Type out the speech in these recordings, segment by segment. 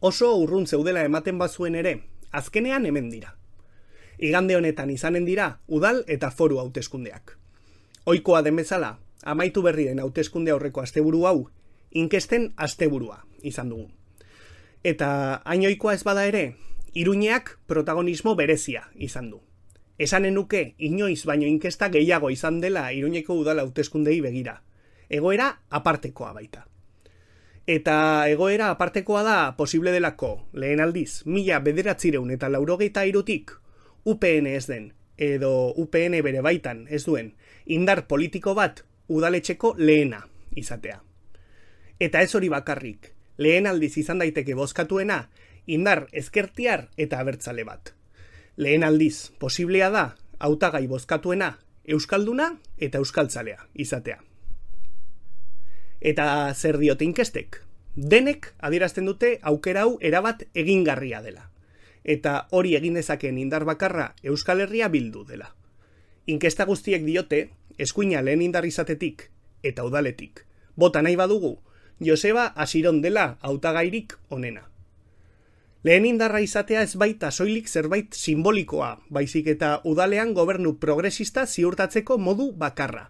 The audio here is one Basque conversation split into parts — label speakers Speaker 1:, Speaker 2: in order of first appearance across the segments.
Speaker 1: Oso urrun zeudela ematen bazuen ere, azkenean hemen dira. Igande honetan izanen dira udal eta foru hauteskundeak. Ohikoa den bezala, amaitu berri den hauteskunde aurreko asteburu hau, inkesten asteburua izan dugu. Eta hain ohikoa ez bada ere, Iruñeak protagonismo berezia izan du. Esanen nuke inoiz baino inkesta gehiago izan dela Iruñeko udal hauteskundei begira. Egoera apartekoa baita. Eta egoera apartekoa da posible delako, lehen aldiz, 1993tik UPN ez den, edo UPN bere baitan ez duen, indar politiko bat udaletxeko lehena izatea. Eta ez hori bakarrik, lehen aldiz izan daiteke bozkatuena, indar ezkertiar eta abertzale bat. Lehen aldiz, posiblea da, hautagai bozkatuena, euskalduna eta euskaltzalea izatea. Eta zer diote inkestek? Denek adierazten dute aukera hau erabat egingarria dela. Eta hori egin dezakeen indar bakarra Euskal Herria bildu dela. Inkesta guztiek diote, eskuina lehen indar izatetik eta udaletik. Bota nahi badugu, Joseba Asiron dela hautagairik onena. Lehen indarra izatea ez baita soilik zerbait simbolikoa, baizik eta udalean gobernu progresista ziurtatzeko modu bakarra.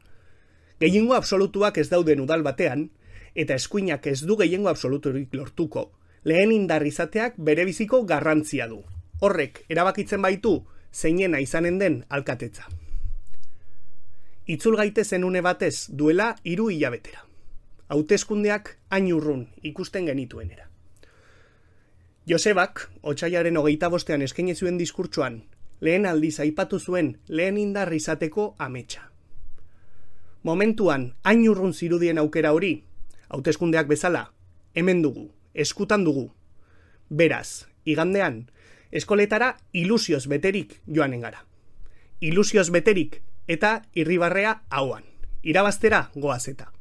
Speaker 1: Gehiengo absolutuak ez dauden udal batean, eta eskuinak ez du gehiengo absoluturik lortuko, lehen indar izateak berebiziko garrantzia du. Horrek erabakitzen baitu zeinena izanen den alkatetza. Itzul gaitezen une batez duela 3 hilabetera. Hauteskundeak hain urrun ikusten genituenera. Josebak, otsailaren 25ean eskaini zuen diskurtsoan, lehen aldiz aipatu zuen lehen indar izateko ametsa. Momentuan hain urrun zirudien aukera hori, hauteskundeak bezala, hemen dugu, eskutan dugu. Beraz, igandean, eskoletara ilusioz beterik joanen gara. Ilusioz beterik eta irribarrea hauan. Irabaztera goaz eta.